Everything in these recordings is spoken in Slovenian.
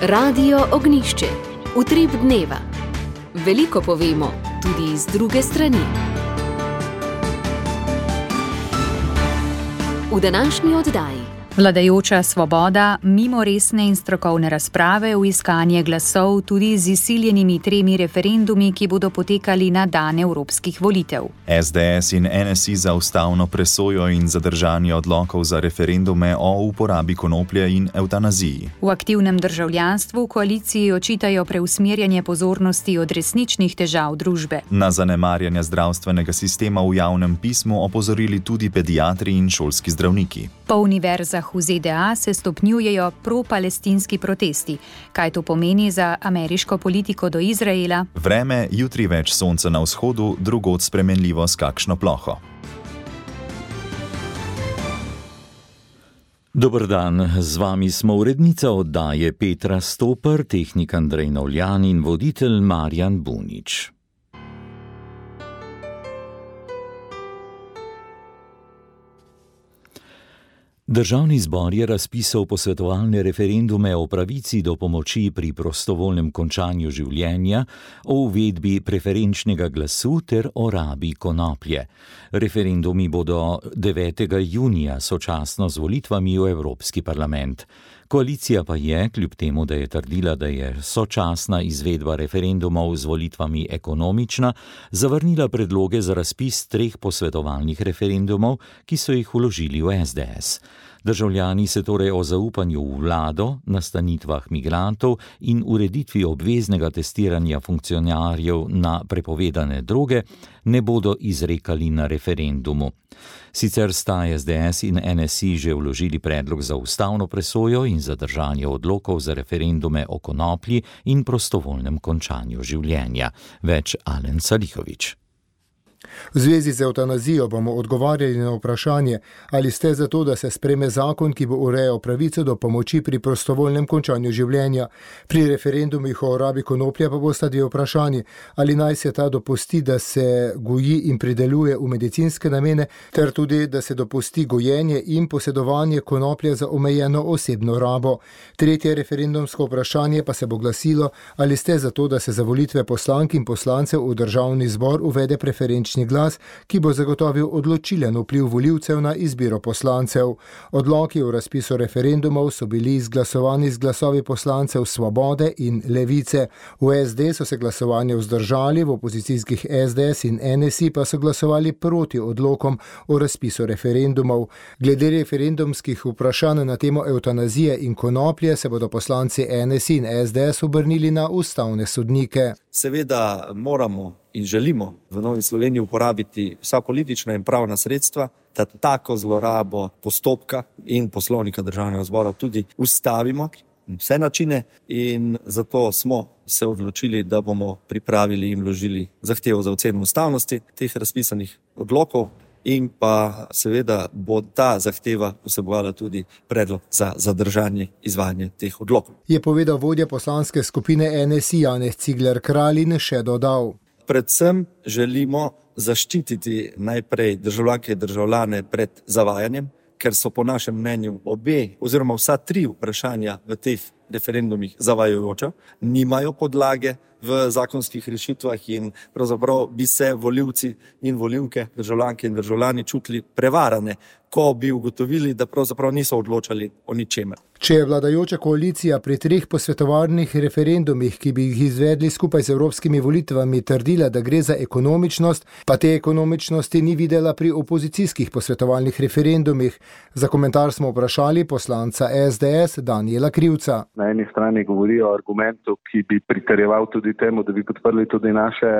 Radio Ognjišče. Utrip dneva. Veliko povemo, tudi z druge strani. V današnji oddaji. Vladajoča Svoboda mimo resne in strokovne razprave v iskanje glasov tudi z izsiljenimi 3 referendumi, ki bodo potekali na dan evropskih volitev. SDS in NSI za ustavno presojo in zadržanje odlokov za referendume o uporabi konoplje in evtanaziji. V aktivnem državljanstvu koaliciji očitajo preusmerjanje pozornosti od resničnih težav družbe. Na zanemarjanje zdravstvenega sistema v javnem pismu opozorili tudi pediatri in šolski zdravniki. Po univerzah v ZDA se stopnjujejo pro-palestinski protesti. Kaj to pomeni za ameriško politiko do Izraela? Vreme, jutri več sonca na vzhodu, drugod spremenljivo s kakšno ploho. Dober dan, z vami smo urednica oddaje Petra Stoper, tehnik Andrej Novljan in voditelj Marjan Bunič. Državni zbor je razpisal posvetovalne referendume o pravici do pomoči pri prostovoljnem končanju življenja, o uvedbi preferenčnega glasu ter o rabi konoplje. Referendumi bodo 9. junija sočasno z volitvami v Evropski parlament. Koalicija pa je, kljub temu, da je trdila, da je sočasna izvedba referendumov z volitvami ekonomična, zavrnila predloge za razpis 3 posvetovalnih referendumov, ki so jih vložili v SDS. Državljani se torej o zaupanju v vlado, nastanitvah migrantov in ureditvi obveznega testiranja funkcionarjev na prepovedane droge ne bodo izrekali na referendumu. Sicer sta SDS in NSI že vložili predlog za ustavno presojo in zadržanje odlokov za referendume o konoplji in prostovoljnem končanju življenja. Več Alen Salihović. V zvezi z evtanazijo bomo odgovarjali na vprašanje, ali ste za to, da se sprejme zakon, ki bo urejal pravico do pomoči pri prostovoljnem končanju življenja. Pri referendumih o rabi konoplje pa bosta 2 vprašanji, ali naj se ta dopusti, da se goji in prideluje v medicinske namene, ter tudi, da se dopusti gojenje in posedovanje konoplje za omejeno osebno rabo. 3. referendumsko vprašanje pa se bo glasilo, ali ste za to, da se za volitve poslank in poslancev v državni zbor uvede preferenčni glas, ki bo zagotovil odločilen vpliv volivcev na izbiro poslancev. Odloki o razpisu referendumov so bili izglasovani z glasovi poslancev Svobode in Levice. V SD so se glasovanje vzdržali, v opozicijskih SDS in NSI pa so glasovali proti odlokom o razpisu referendumov. Glede referendumskih vprašanj na temo evtanazije in konoplje se bodo poslanci NSI in SDS obrnili na ustavne sodnike. Seveda moramo in želimo v Novi Sloveniji uporabiti vsa politična in pravna sredstva, da tako zlorabo postopka in poslovnika državnega zbora tudi ustavimo, vse načine, in zato smo se odločili, da bomo pripravili in vložili zahtevo za oceno ustavnosti teh razpisanih odlokov in pa seveda bo ta zahteva vsebovala tudi predlog za zadržanje izvajanja teh odlokov. Je povedal vodja poslanske skupine NSI Janez Cigler Kralj in še dodal. Predvsem želimo zaščititi najprej državljanke in državljane pred zavajanjem, ker so po našem mnenju oziroma vsa 3 vprašanja v teh referendumih zavajajoča, nimajo podlage v zakonskih rešitvah in pravzaprav bi se volivci in volivke, državljanke in državljani čutili prevarane, ko bi ugotovili, da pravzaprav niso odločali o ničemer. Če je vladajoča koalicija pri 3 posvetovalnih referendumih, ki bi jih izvedli skupaj z evropskimi volitvami, trdila, da gre za ekonomičnost, pa te ekonomičnosti ni videla pri opozicijskih posvetovalnih referendumih. Za komentar smo vprašali poslanca SDS Danijela Krivca. Na eni strani govorijo o argumentu, ki bi pritrjeval tudi temu, da bi podprli tudi naše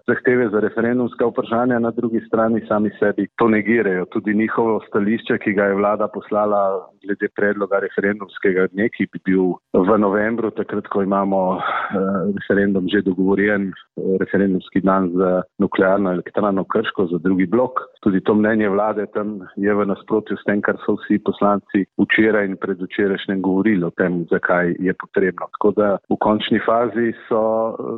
zahteve za referendumska vprašanja, na drugi strani sami sebi to negirajo. Tudi njihovo stališče, ki ga je vlada poslala glede predloga referendumskega dne, ki bi bil v novembru, takrat, ko imamo referendum že dogovorjen, referendumski dan za nuklearno elektrarno Krško, za drugi blok. Tudi to mnenje vlade tam je v nasprotju s tem, kar so vsi poslanci včeraj in predvčerajšnjem govorili o tem, zakaj kaj je potrebno. Tako da v končni fazi so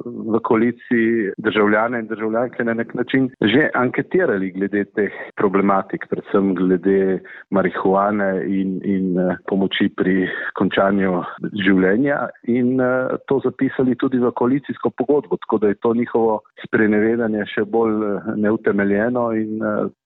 v koaliciji državljane in državljanke na nek način že anketirali glede teh problematik, predvsem glede marihuane in pomoči pri končanju življenja in to zapisali tudi v koalicijsko pogodbo, tako da je to njihovo sprenevedanje še bolj neutemeljeno in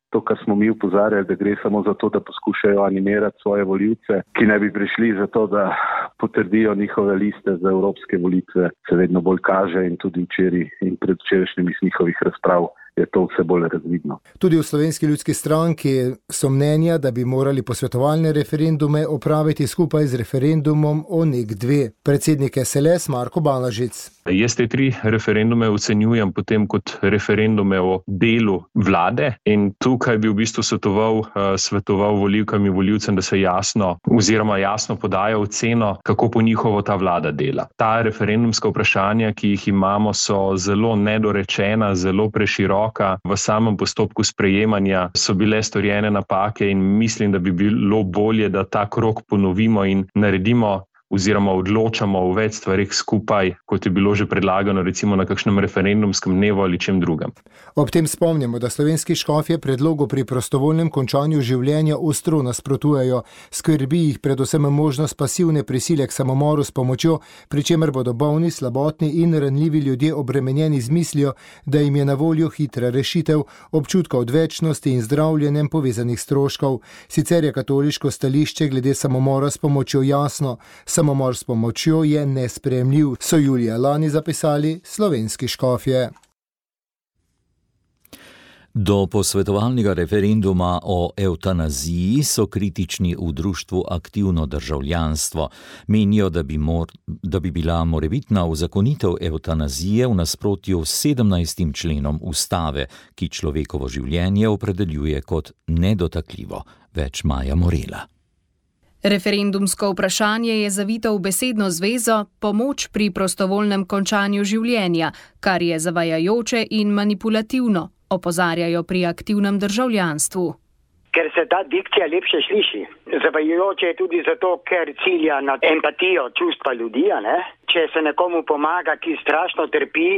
to, kar smo mi upozarjali, da gre samo za to, da poskušajo animirati svoje volivce, ki ne bi prišli za to, da potrdijo njihove liste za evropske volitve, se vedno bolj kaže in tudi včeraj in predvčerajšnjim iz njihovih razprav je to vse bolj razvidno. Tudi v Slovenski ljudski stranki so mnenja, da bi morali posvetovalne referendume opraviti skupaj z referendumom o NEK2. Predsednik SLS Marko Balažic. Jaz te 3 referendume ocenjujem potem kot referendume o delu vlade in tukaj bi v bistvu svetoval volivkam in volivcem, da se jasno podajo oceno, kako po njihovo ta vlada dela. Ta referendumska vprašanja, ki jih imamo, so zelo nedorečena, zelo preširoka. V samem postopku sprejemanja so bile storjene napake in mislim, da bi bilo bolje, da ta krog ponovimo in naredimo oziroma odločamo o več stvarih skupaj, kot je bilo že predlagano recimo na kakšnem referendumskem dnevu ali čem drugem. Ob tem spomnimo, da slovenski škofje predlogu pri prostovoljnem končanju življenja ostro nasprotujejo. Skrbi jih predvsem možnost pasivne prisile k samomoru s pomočjo, pri čemer bodo bolni, slabotni in ranljivi ljudje obremenjeni z mislijo, da jim je na voljo hitra rešitev, občutka odvečnosti in zdravljenjem povezanih stroškov. Sicer je katoliško stališče glede samomora s pomočjo jasno. Samomor s pomočjo je nesprejemljiv, so julija lani zapisali slovenski škofje. Do posvetovalnega referenduma o evtanaziji so kritični v društvu Aktivno državljanstvo. Menijo, da bi bila morebitna uzakonitev evtanazije v nasprotju s 17. členom ustave, ki človekovo življenje opredeljuje kot nedotakljivo. Več Maja Morela. Referendumsko vprašanje je zavito v besedno zvezo pomoč pri prostovoljnem končanju življenja, kar je zavajajoče in manipulativno, opozarjajo pri Aktivnem državljanstvu. Ker se ta dikcija lepše sliši. Zavajajoče je tudi zato, ker cilja na empatijo, čustva ljudi, ne? Če se nekomu pomaga, ki strašno trpi,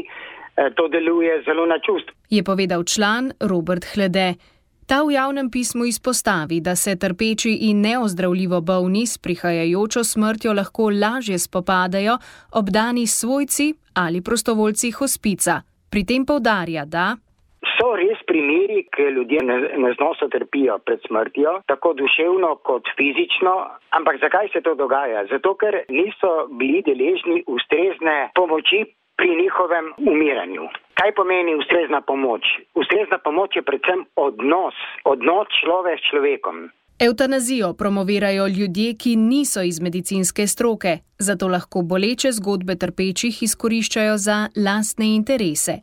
to deluje zelo na čustvo. Je povedal član Robert Hlede. Ta v javnem pismu izpostavi, da se trpeči in neozdravljivo bolni s prihajajočo smrtjo lahko lažje spopadajo obdani svojci ali prostovoljci hospica. Pri tem poudarja, da so res primeri, ki ljudje neznosno trpijo pred smrtjo, tako duševno kot fizično. Ampak zakaj se to dogaja? Zato, ker niso bili deležni ustrezne pomoči pri njihovem umiranju. Kaj pomeni ustrezna pomoč? Ustrezna pomoč je predvsem odnos človek s človekom. Evtanazijo promovirajo ljudje, ki niso iz medicinske stroke, zato lahko boleče zgodbe trpečih izkoriščajo za lastne interese.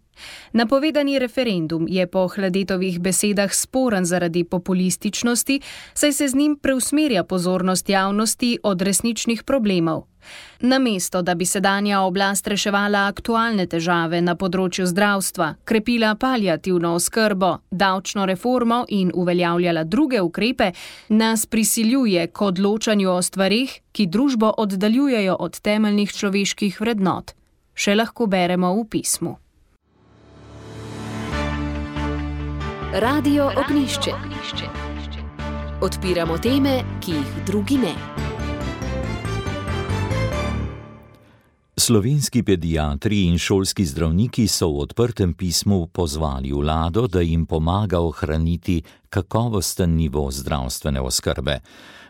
Napovedani referendum je po Hladetovih besedah sporen zaradi populističnosti, saj se z njim preusmerja pozornost javnosti od resničnih problemov. Namesto, da bi sedanja oblast reševala aktualne težave na področju zdravstva, krepila paliativno oskrbo, davčno reformo in uveljavljala druge ukrepe, nas prisiljuje k odločanju o stvarih, ki družbo oddaljujejo od temeljnih človeških vrednot. Še lahko beremo v pismu. Radio Ognjišče. Odpiramo teme, ki jih drugi ne. Slovenski pediatri in šolski zdravniki so v odprtem pismu pozvali vlado, da jim pomaga ohraniti kakovosten nivo zdravstvene oskrbe.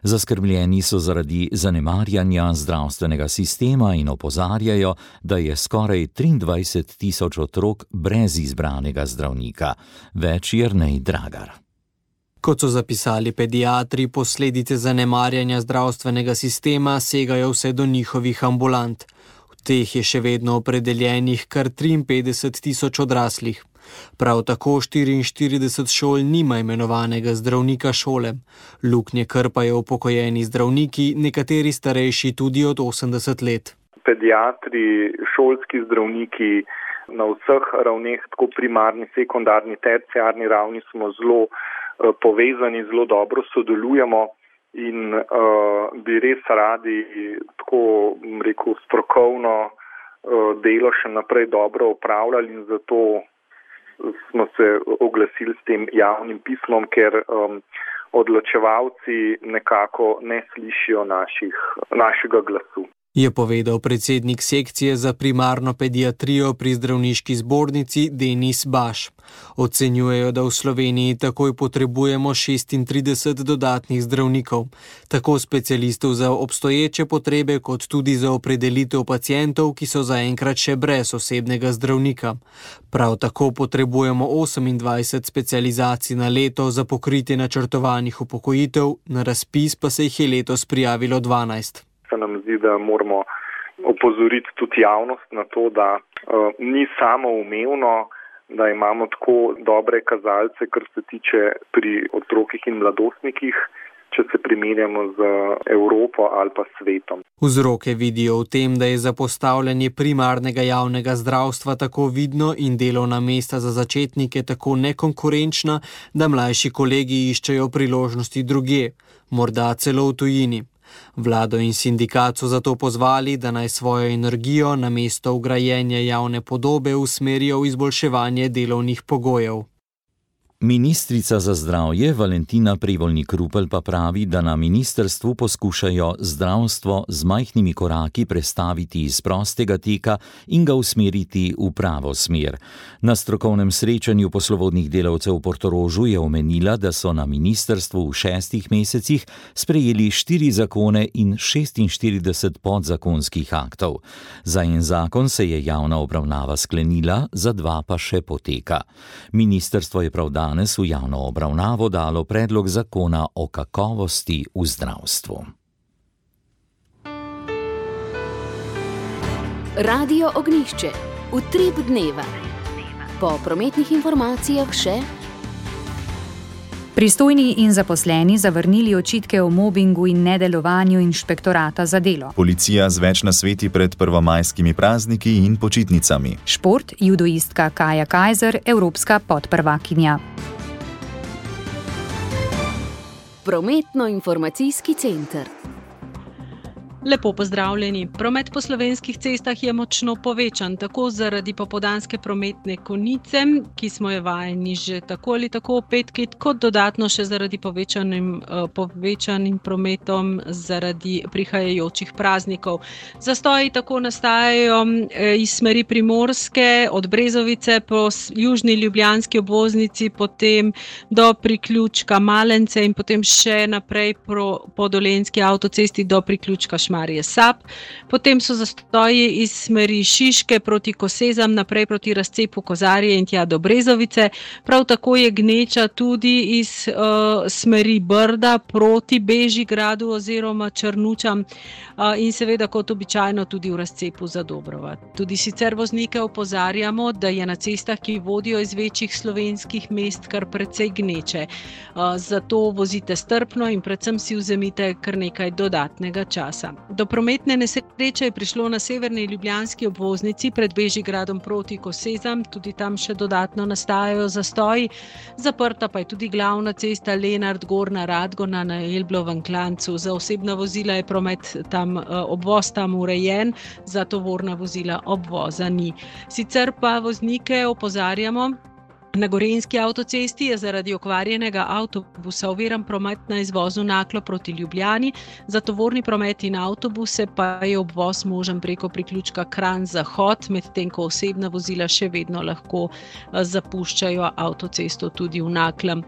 Zaskrbljeni so zaradi zanemarjanja zdravstvenega sistema in opozarjajo, da je skoraj 23.000 otrok brez izbranega zdravnika. Več Jernej Dragar. Kot so zapisali pediatri, posledice zanemarjanja zdravstvenega sistema segajo vse do njihovih ambulant. Teh je še vedno opredeljenih kar 53.000 odraslih. Prav tako 44 šol nima imenovanega zdravnika šole. Luknje krpajo upokojeni zdravniki, nekateri starejši tudi od 80 let. Pediatri, šolski zdravniki na vseh ravneh, tako primarni, sekundarni, terciarni ravni smo zelo povezani, zelo dobro sodelujemo in bi res radi tako, rekel, strokovno delo še naprej dobro opravljali in zato smo se oglasili s tem javnim pismom, ker odločevalci nekako ne slišijo našega glasu. Je povedal predsednik sekcije za primarno pediatrijo pri zdravniški zbornici Denis Baš. Ocenjujejo, da v Sloveniji takoj potrebujemo 36 dodatnih zdravnikov, tako specialistov za obstoječe potrebe, kot tudi za opredelitev pacientov, ki so zaenkrat še brez osebnega zdravnika. Prav tako potrebujemo 28 specializacij na leto za pokritje načrtovanih upokojitev, na razpis pa se jih je letos prijavilo 12. Se nam zdi, da moramo opozoriti tudi javnost na to, da ni samoumevno, da imamo tako dobre kazalce, kar se tiče pri otrokih in mladostnikih, če se primerjamo z Evropo ali pa svetom. Vzroke vidijo v tem, da je zapostavljanje primarnega javnega zdravstva tako vidno in delovna mesta za začetnike tako nekonkurenčna, da mlajši kolegi iščejo priložnosti drugje, morda celo v tujini. Vlado in sindikat so zato pozvali, da naj svojo energijo namesto vgrajenja javne podobe usmerijo v izboljševanje delovnih pogojev. Ministrica za zdravje Valentina Prevolnik-Rupel pa pravi, da na ministrstvu poskušajo zdravstvo z majhnimi koraki prestaviti iz prostega teka in ga usmeriti v pravo smer. Na strokovnem srečanju poslovodnih delavcev v Portorožu je omenila, da so na ministrstvu v 6 mesecih sprejeli 4 zakone in 46 podzakonskih aktov. Za en zakon se je javna obravnava sklenila, za 2 pa še poteka. Ministrstvo je prav danes v javno obravnavo dalo predlog zakona o kakovosti v zdravstvu. Radio Ognjišče. Utrip dneva. Po prometnih informacijah še. Pristojni in zaposleni zavrnili očitke o mobingu in nedelovanju inšpektorata za delo. Policija z več nasveti pred prvomajskimi prazniki in počitnicami. Šport, judoistka Kaja Kajzer, evropska podprvakinja. Prometno-informacijski center. Lepo pozdravljeni. Promet po slovenskih cestah je močno povečan, tako zaradi popoldanske prometne konice, ki smo jo vajeni že tako ali tako petkrat, kot dodatno še zaradi povečanim prometom zaradi prihajajočih praznikov. Zastoji tako nastajajo iz smeri Primorske, od Brezovice po južni ljubljanski obvoznici, potem do priključka Malence in potem še naprej po dolenjski avtocesti do priključka Šmarje Sap. Potem so zastoji iz smeri Šiške proti Kosezam, naprej proti razcepu Kozarje in tja do Brezovice. Prav tako je gneča tudi iz smeri Brda proti Bežigradu oziroma Črnučam in seveda kot običajno tudi v razcepu za Dobrova. Tudi sicer voznike opozarjamo, da je na cestah, ki vodijo iz večjih slovenskih mest, kar precej gneče. Zato vozite strpno in predvsem si vzemite kar nekaj dodatnega časa. Do prometne nesreče je prišlo na severni ljubljanski obvoznici pred Bežigradom proti Kosezam, tudi tam še dodatno nastajajo zastoji. Zaprta pa je tudi glavna cesta Lenart-Gornja Radgona na Elblovem klancu. Za osebna vozila je promet tam, obvoz tam urejen, za tovorna vozila obvoza ni. Sicer pa voznike opozarjamo, na Gorenjski avtocesti je zaradi okvarjenega avtobusa oviran promet na izvozu Naklo proti Ljubljani, za tovorni promet in avtobuse pa je obvoz možen preko priključka Kranj-Zahod, medtem ko osebna vozila še vedno lahko zapuščajo avtocesto tudi v Naklem.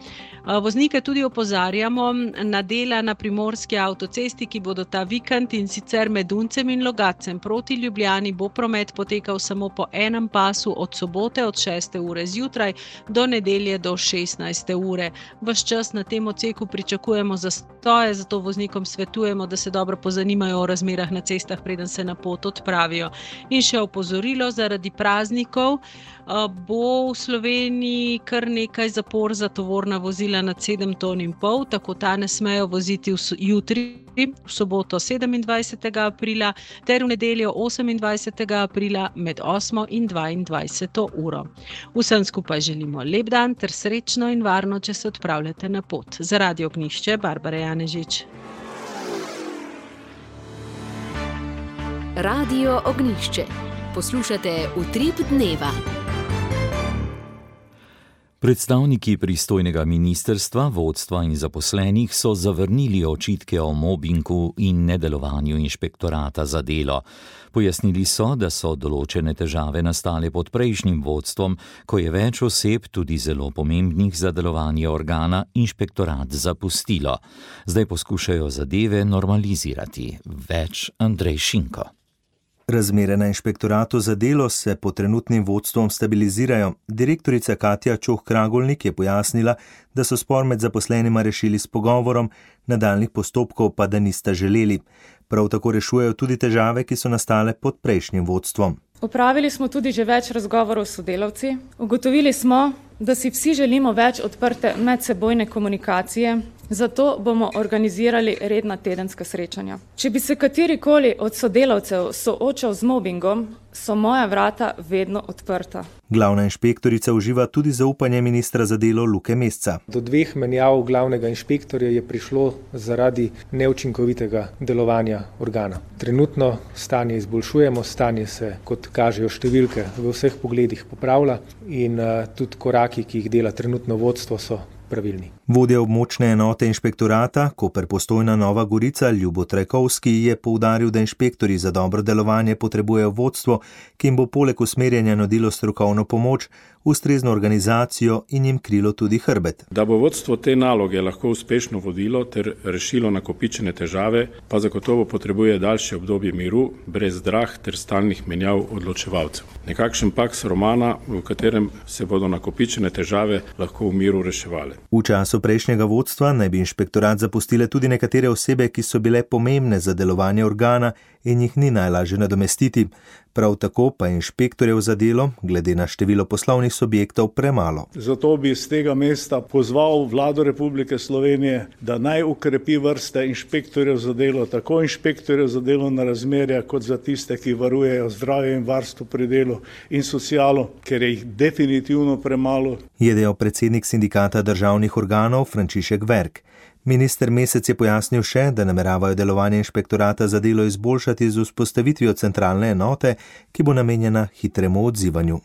Voznike tudi opozarjamo na dela na primorski avtocesti, ki bodo ta vikend, in sicer med Uncem in Logacem proti Ljubljani bo promet potekal samo po enem pasu od sobote od 6. ure zjutraj do nedelje do 16. ure. Ves čas na tem odseku pričakujemo zastoje, zato voznikom svetujemo, da se dobro pozanimajo o razmerah na cestah, preden se na pot odpravijo. In še opozorilo, zaradi praznikov bo v Sloveniji kar nekaj zapor za tovorna vozila nad 7,5 ton, tako ta ne smejo voziti jutri, v soboto 27. aprila ter v nedeljo 28. aprila med 8. in 22. uro. Vsem skupaj želimo lep dan ter srečno in varno, če se odpravljate na pot. Za Radio Ognjišče, Barbara Janežič. Radio Ognišče. Poslušate Utrip dneva. Predstavniki pristojnega ministrstva, vodstva in zaposlenih so zavrnili očitke o mobingu in nedelovanju inšpektorata za delo. Pojasnili so, da so določene težave nastale pod prejšnjim vodstvom, ko je več oseb, tudi zelo pomembnih za delovanje organa, inšpektorat zapustilo. Zdaj poskušajo zadeve normalizirati. Več Andrej Šinko. Razmere na inšpektoratu za delo se pod trenutnim vodstvom stabilizirajo. Direktorica Katja Čoh-Kragolnik je pojasnila, da so spor med zaposlenima rešili s pogovorom, nadaljnjih postopkov pa da nista želeli. Prav tako rešujejo tudi težave, ki so nastale pod prejšnjim vodstvom. Opravili smo tudi že več razgovorov s sodelavci. Ugotovili smo, da si vsi želimo več odprte medsebojne komunikacije, zato bomo organizirali redna tedenska srečanja. Če bi se katerikoli od sodelavcev soočal z mobingom, so moja vrata vedno odprta. Glavna inšpektorica uživa tudi zaupanje ministra za delo Luke Mesca. Do 2 menjav glavnega inšpektorja je prišlo zaradi neučinkovitega delovanja organa. Trenutno stanje izboljšujemo, stanje se, kot kažejo številke, v vseh pogledih popravlja in tudi koraki, ki jih dela trenutno vodstvo, so pravilni. Vodja območne enote inšpektorata, Koper Postojna Nova Gorica, Ljubo Trajkovski, je poudaril, da inšpektorji za dobro delovanje potrebujejo vodstvo, ki jim bo poleg usmerjanja nudilo strokovno pomoč, ustrezno organizacijo in jim krilo tudi hrbet. Da bo vodstvo te naloge lahko uspešno vodilo ter rešilo nakopičene težave, pa zagotovo potrebuje daljše obdobje miru, brez zdrah ter stalnih menjav odločevalcev. Nekakšen paks romana, v katerem se bodo nakopičene težave lahko v miru reševale. V času prejšnjega vodstva naj bi inšpektorat zapustile tudi nekatere osebe, ki so bile pomembne za delovanje organa in jih ni najlažje nadomestiti. Prav tako pa inšpektorjev za delo, glede na število poslovnih subjektov, premalo. Zato bi z tega mesta pozval Vlado Republike Slovenije, da naj ukrepi vrste inšpektorjev za delo, tako inšpektorjev za delovna razmerja, kot za tiste, ki varujejo zdravje in varstvo pri delu in socialo, ker je jih definitivno premalo. Je dejal predsednik sindikata državnih organov Frančišek Verk. Minister Mesec je pojasnil še, da nameravajo delovanje inšpektorata za delo izboljšati z vzpostavitvijo centralne enote, ki bo namenjena hitremu odzivanju.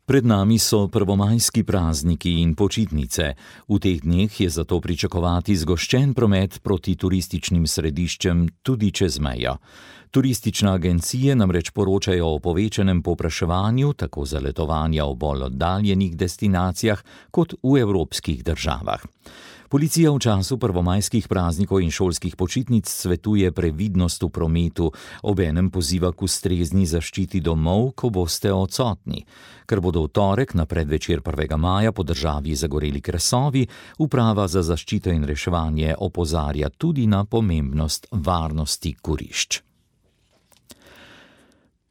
Pred nami so prvomajski prazniki in počitnice. V teh dneh je zato pričakovati zgoščen promet proti turističnim središčem tudi čez mejo. Turistične agencije namreč poročajo o povečanem povpraševanju tako za letovanja v bolj oddaljenih destinacijah kot v evropskih državah. Policija v času prvomajskih praznikov in šolskih počitnic svetuje previdnost v prometu, obenem poziva k ustrezni zaščiti domov, ko boste odsotni. Ker bodo v torek na predvečer 1. maja po državi zagoreli krasovi, Uprava za zaščito in reševanje opozarja tudi na pomembnost varnosti kurišč.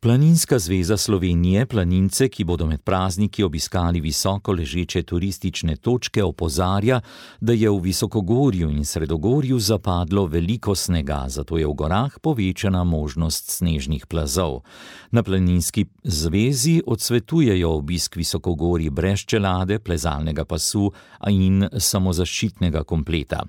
Planinska zveza Slovenije planince, ki bodo med prazniki obiskali visoko ležeče turistične točke, opozarja, da je v visokogorju in sredogorju zapadlo veliko snega, zato je v gorah povečana možnost snežnih plazov. Na planinski zvezi odsvetujejo obisk visokogorji brez čelade, plezalnega pasu in samozaščitnega kompleta.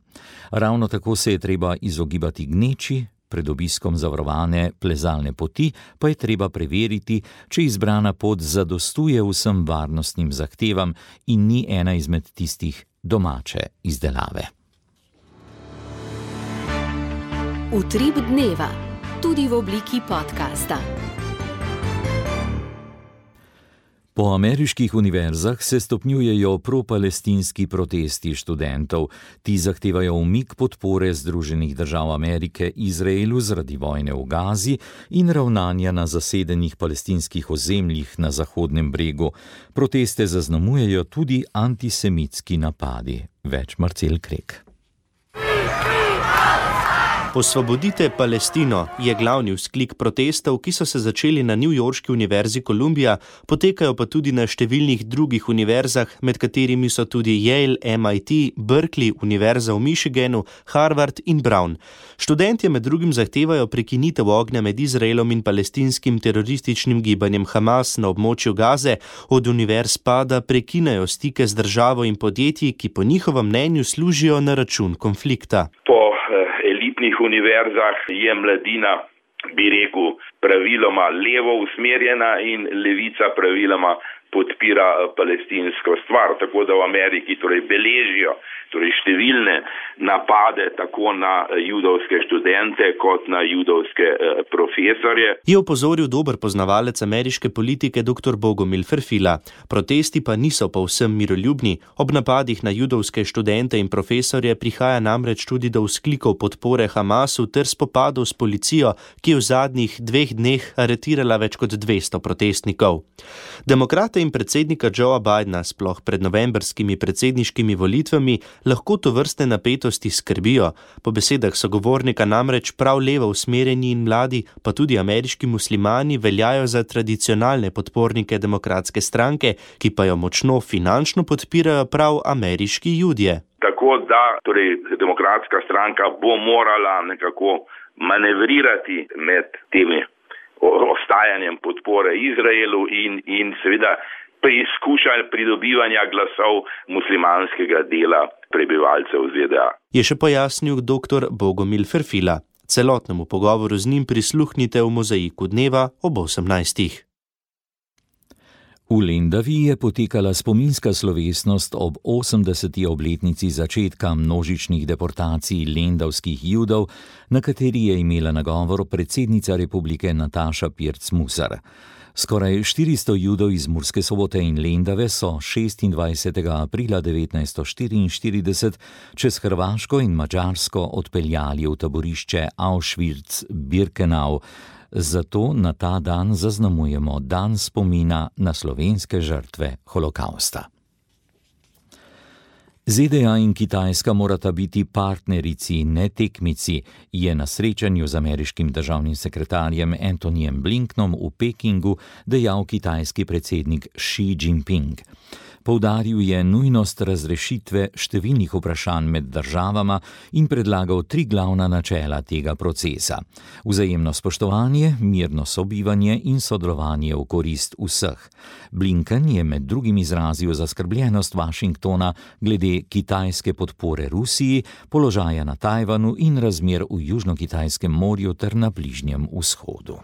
Ravno tako se je treba izogibati gneči. Pred obiskom zavarovane plezalne poti pa je treba preveriti, če izbrana pot zadostuje vsem varnostnim zahtevam in ni ena izmed tistih domače izdelave. Utrip dneva, tudi v obliki podcasta. Po ameriških univerzah se stopnjujejo propalestinski protesti študentov. Ti zahtevajo umik podpore Združenih držav Amerike Izraelu zaradi vojne v Gazi in ravnanja na zasedenih palestinskih ozemljih na Zahodnem bregu. Proteste zaznamujejo tudi antisemitski napadi. Več Marcel Krek. Osvobodite Palestino je glavni vzklik protestov, ki so se začeli na newyorški univerzi Columbia, potekajo pa tudi na številnih drugih univerzah, med katerimi so tudi Yale, MIT, Berkeley, Univerza v Michiganu, Harvard in Brown. Študentje med drugim zahtevajo prekinitev ognja med Izraelom in palestinskim terorističnim gibanjem Hamas na območju Gaze, od univerz pa da prekinejo stike z državo in podjetji, ki po njihovem mnenju služijo na račun konflikta. elitnih univerzah je mladina bi rekel, praviloma levo usmerjena in levica praviloma podpira palestinsko stvar. Tako da v Ameriki beležijo številne napade tako na judovske študente kot na judovske profesorje. Je opozoril dober poznavalec ameriške politike dr. Bogomil Ferfila. Protesti pa niso povsem miroljubni. Ob napadih na judovske študente in profesorje prihaja namreč tudi do vzklikov podpore Hamasu ter spopadov s policijo, ki je v zadnjih 2 dneh aretirala več kot 200 protestnikov. Demokrate in predsednika Joea Bidena sploh pred novembrskimi predsedniškimi volitvami lahko tovrstne napetosti skrbijo. Po besedah sogovornika namreč prav levo usmerjeni in mladi, pa tudi ameriški muslimani veljajo za tradicionalne podpornike demokratske stranke, ki pa jo močno finančno podpirajo prav ameriški judje. Tako da demokratska stranka bo morala nekako manevrirati med temi ostajanjem podpore Izraelu in seveda preizkušanj pridobivanja glasov muslimanskega dela prebivalcev ZDA. Je še pojasnil dr. Bogomil Ferfila. Celotnemu pogovoru z njim prisluhnite v Mozaiku dneva ob 18. V Lendavi je potekala spominska slovesnost ob 80. obletnici začetka množičnih deportacij lendavskih Judov, na kateri je imela nagovor predsednica republike Nataša Pirc-Musar. Skoraj 400 Judov iz Murske Sobote in Lendave so 26. aprila 1944 čez Hrvaško in Madžarsko odpeljali v taborišče Auschwitz-Birkenau. Zato na ta dan zaznamujemo dan spomina na slovenske žrtve holokausta. ZDA in Kitajska morata biti partnerici, ne tekmici, je na srečanju z ameriškim državnim sekretarjem Antonyjem Blinkenom v Pekingu dejal kitajski predsednik Xi Jinping. Poudaril je nujnost razrešitve številnih vprašanj med državama in predlagal 3 glavna načela tega procesa: vzajemno spoštovanje, mirno sobivanje in sodelovanje v korist vseh. Blinken je med drugim izrazil zaskrbljenost Washingtona glede kitajske podpore Rusiji, položaja na Tajvanu in razmer v Južno-Kitajskem morju ter na Bližnjem vzhodu.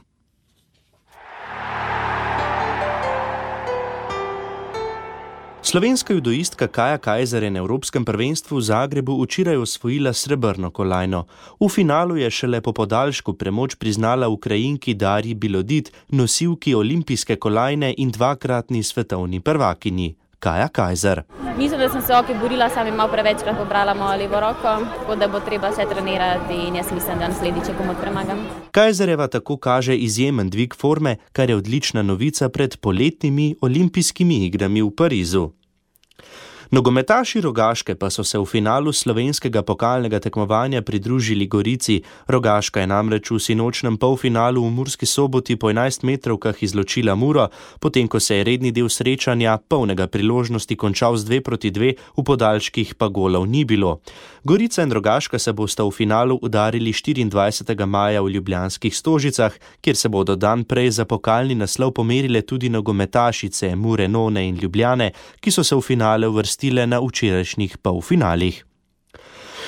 Slovenska judoistka Kaja Kajzer je na Evropskem prvenstvu v Zagrebu včeraj osvojila srebrno kolajno. V finalu je šele po podaljšku premoč priznala Ukrajinki Darji Bilodit, nosilki olimpijske kolajne in 2-kratni svetovni prvakinji. Kaja Kajzer. Mislim, da sem se borila, sam malo prevečkrat pobrala mojo levo roko, tako da bo treba še trenirati in jaz mislim, da naslednjič komot premagam. Kajzerjeva tako kaže izjemen dvig forme, kar je odlična novica pred poletnimi olimpijskimi igrami v Parizu. Nogometaši Rogaške pa so se v finalu slovenskega pokalnega tekmovanja pridružili Gorici. Rogaška je namreč v sinočnem polfinalu v Murski Soboti po 11-metrovkah izločila Muro, potem ko se je redni del srečanja polnega priložnosti končal z 2-2, v podaljških pa golov ni bilo. Gorica in Rogaška se bosta v finalu udarili 24. maja v ljubljanskih Stožicah, kjer se bodo dan prej za pokalni naslov pomerile tudi nogometašice Mure, None in Ljubljane, ki so se v finale uvrstile na včerajšnjih polfinalih.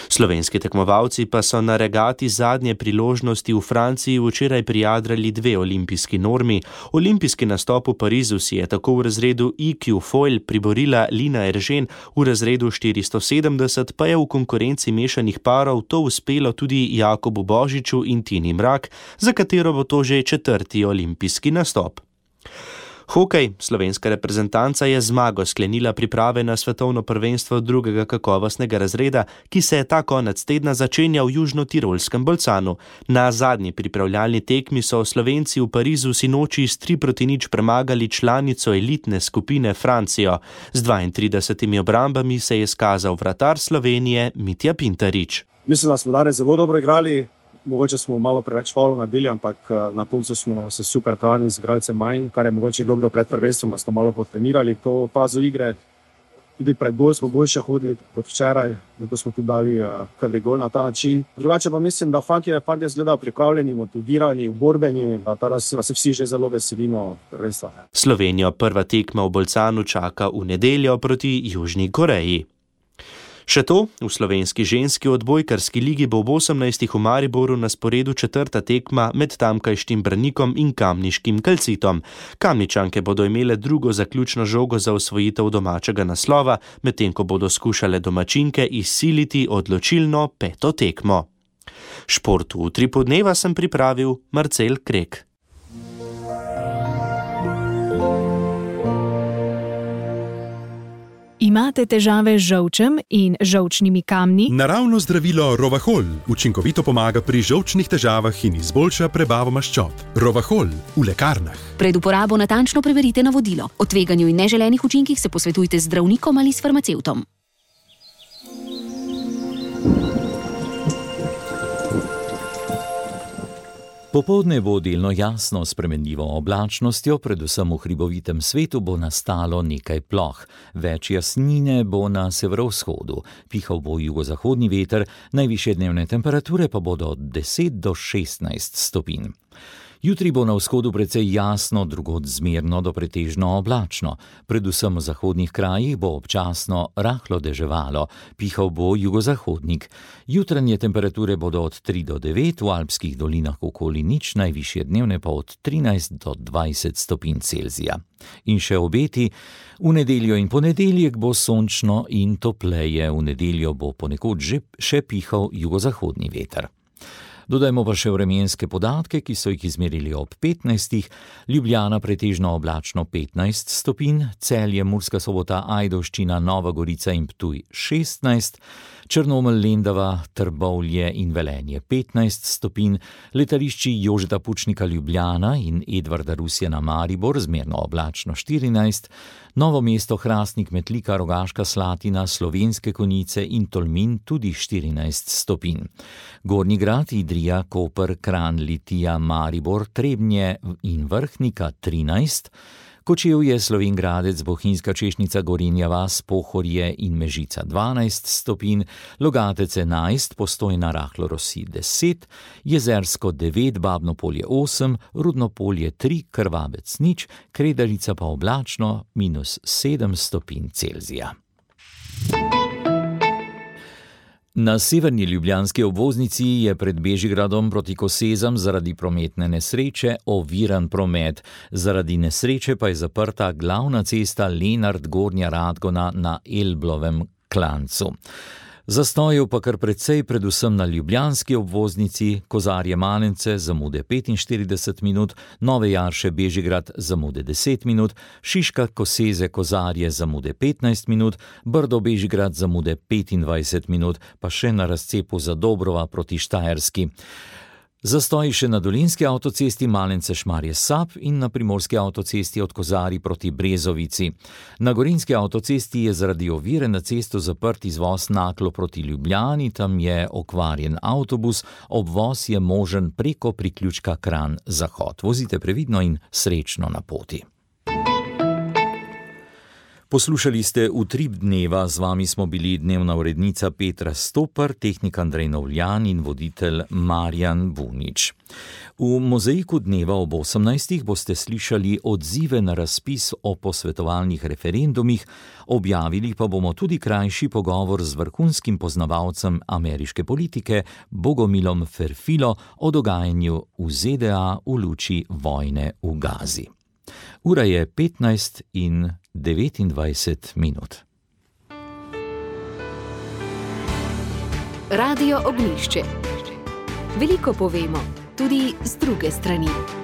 Slovenski tekmovalci pa so na regati zadnje priložnosti v Franciji včeraj prijadrali 2 olimpijski normi. Olimpijski nastop v Parizu si je tako v razredu IQ Foil priborila Lina Eržen, v razredu 470 pa je v konkurenci mešanih parov to uspelo tudi Jakobu Božiču in Tini Mrak, za katero bo to že 4. olimpijski nastop. Hokej. Slovenska reprezentanca je zmago sklenila priprave na svetovno prvenstvo 2. kakovostnega razreda, ki se je ta konec tedna začenjal v Južno-Tirolskem Bolcanu. Na zadnji pripravljalni tekmi so Slovenci v Parizu sinoči s 3-0 premagali članico elitne skupine Francijo. Z 32 obrambami se je izkazal vratar Slovenije Mitja Pintarič. Mislim, da smo danes zelo dobro igrali. Mogoče smo malo preveč faulov naredili, ampak na koncu smo se super dali z igralcem manj, kar je mogoče dobro pred prvenstvom, smo malo potrenirali to fazo igre. Tudi pred gol smo boljše hodili kot včeraj, zato smo tudi dali prvi gol na ta način. Drugače pa mislim, da fantje izgledajo pripravljeni, motivirani, borbeni, da se vsi že zelo veselimo prvenstva. Slovenijo prva tekma v Bolcanu čaka v nedeljo proti Južni Koreji. Še to, v slovenski ženski odbojkarski ligi bo v 18. v Mariboru na sporedu 4. tekma med tamkajšnjim Branikom in kamniškim Kalcitom. Kamničanke bodo imele drugo zaključno žogo za osvojitev domačega naslova, medtem ko bodo skušale domačinke izsiliti odločilno 5. tekmo. Šport v Utripu dneva sem pripravil Marcel Krek. Imate težave z žolčem in žolčnimi kamni? Naravno zdravilo Rovahol učinkovito pomaga pri žolčnih težavah in izboljša prebavo maščob. Rovahol v lekarnah. Pred uporabo natančno preverite navodilo. O tveganju in neželenih učinkih se posvetujte z zdravnikom ali s farmacevtom. Popoldne bo delno jasno s spremenljivo oblačnostjo, predvsem v hribovitem svetu bo nastalo nekaj ploh. Več jasnine bo na severovzhodu, pihal bo jugozahodni veter, najvišje dnevne temperature pa bodo od 10 do 16 stopinj. Jutri bo na vzhodu precej jasno, drugod zmerno do pretežno oblačno. Predvsem v zahodnih krajih bo občasno rahlo deževalo, pihal bo jugozahodnik. Jutranje temperature bodo od 3 do 9, v alpskih dolinah okoli nič, najvišje dnevne pa od 13 do 20 stopinj Celzija. In še obeti, v nedeljo in ponedeljek bo sončno in topleje, v nedeljo bo ponekod še pihal jugozahodni veter. Dodajmo pa še vremenske podatke, ki so jih izmerili ob 15. Ljubljana pretežno oblačno 15 stopinj, Celje, Murska Sobota, Ajdovščina, Nova Gorica in Ptuj 16, Črnomelj, Lendava, Trbovlje in Velenje 15 stopinj, letališči Jožeta Pučnika Ljubljana in Edvarda Rusjana Maribor zmerno oblačno 14, Novo mesto, Hrastnik, Metlika, Rogaška Slatina, Slovenske Konjice in Tolmin tudi 14 stopinj. Gornji Grad, Idrija, Koper, Kranj, Litija, Maribor, Trebnje in Vrhnika 13, Kočevje, Slovenj Gradec, Bohinjska Češnica, Gorenja vas, Pohorje in Mežica 12 stopinj, Logatec 11, Postojna, rahlo rosi 10, Jezersko 9, Babno Polje 8, Rudno Polje 3, Krvabec 0, Kredarica pa oblačno -7 stopinj Celzija. Na severni ljubljanski obvoznici je pred Bežigradom proti Kosezam zaradi prometne nesreče oviran promet. Zaradi nesreče pa je zaprta glavna cesta Lenart-Gornja Radgona na Elblovem klancu. Zastojev pa kar precej, predvsem na ljubljanski obvoznici, Kozarje-Manence zamude 45 minut, Nove Jarše Bežigrad zamude 10 minut, Šiška Koseze-Kozarje zamude 15 minut, Brdo Bežigrad zamude 25 minut, pa še na razcepu Zadobrova proti Štajerski. Zastoji še na dolenjski avtocesti Malence-Šmarje-Sap in na primorski avtocesti od Kozarij proti Brezovici. Na gorenjski avtocesti je zaradi ovire na cesto zaprt izvoz Naklo proti Ljubljani, tam je okvarjen avtobus, obvoz je možen preko priključka Kranj-Zahod. Vozite previdno in srečno na poti. Poslušali ste Utrip dneva, z vami smo bili dnevna urednica Petra Stopar, tehnik Andrej Novljan in voditelj Marjan Bunič. V Mozaiku dneva ob 18. boste slišali odzive na razpis o posvetovalnih referendumih, objavili pa bomo tudi krajši pogovor z vrhunskim poznavalcem ameriške politike Bogomilom Ferfilo o dogajanju v ZDA v luči vojne v Gazi. Ura je 15 in 29 minut. Radio Ognjišče. Veliko povemo, tudi z druge strani.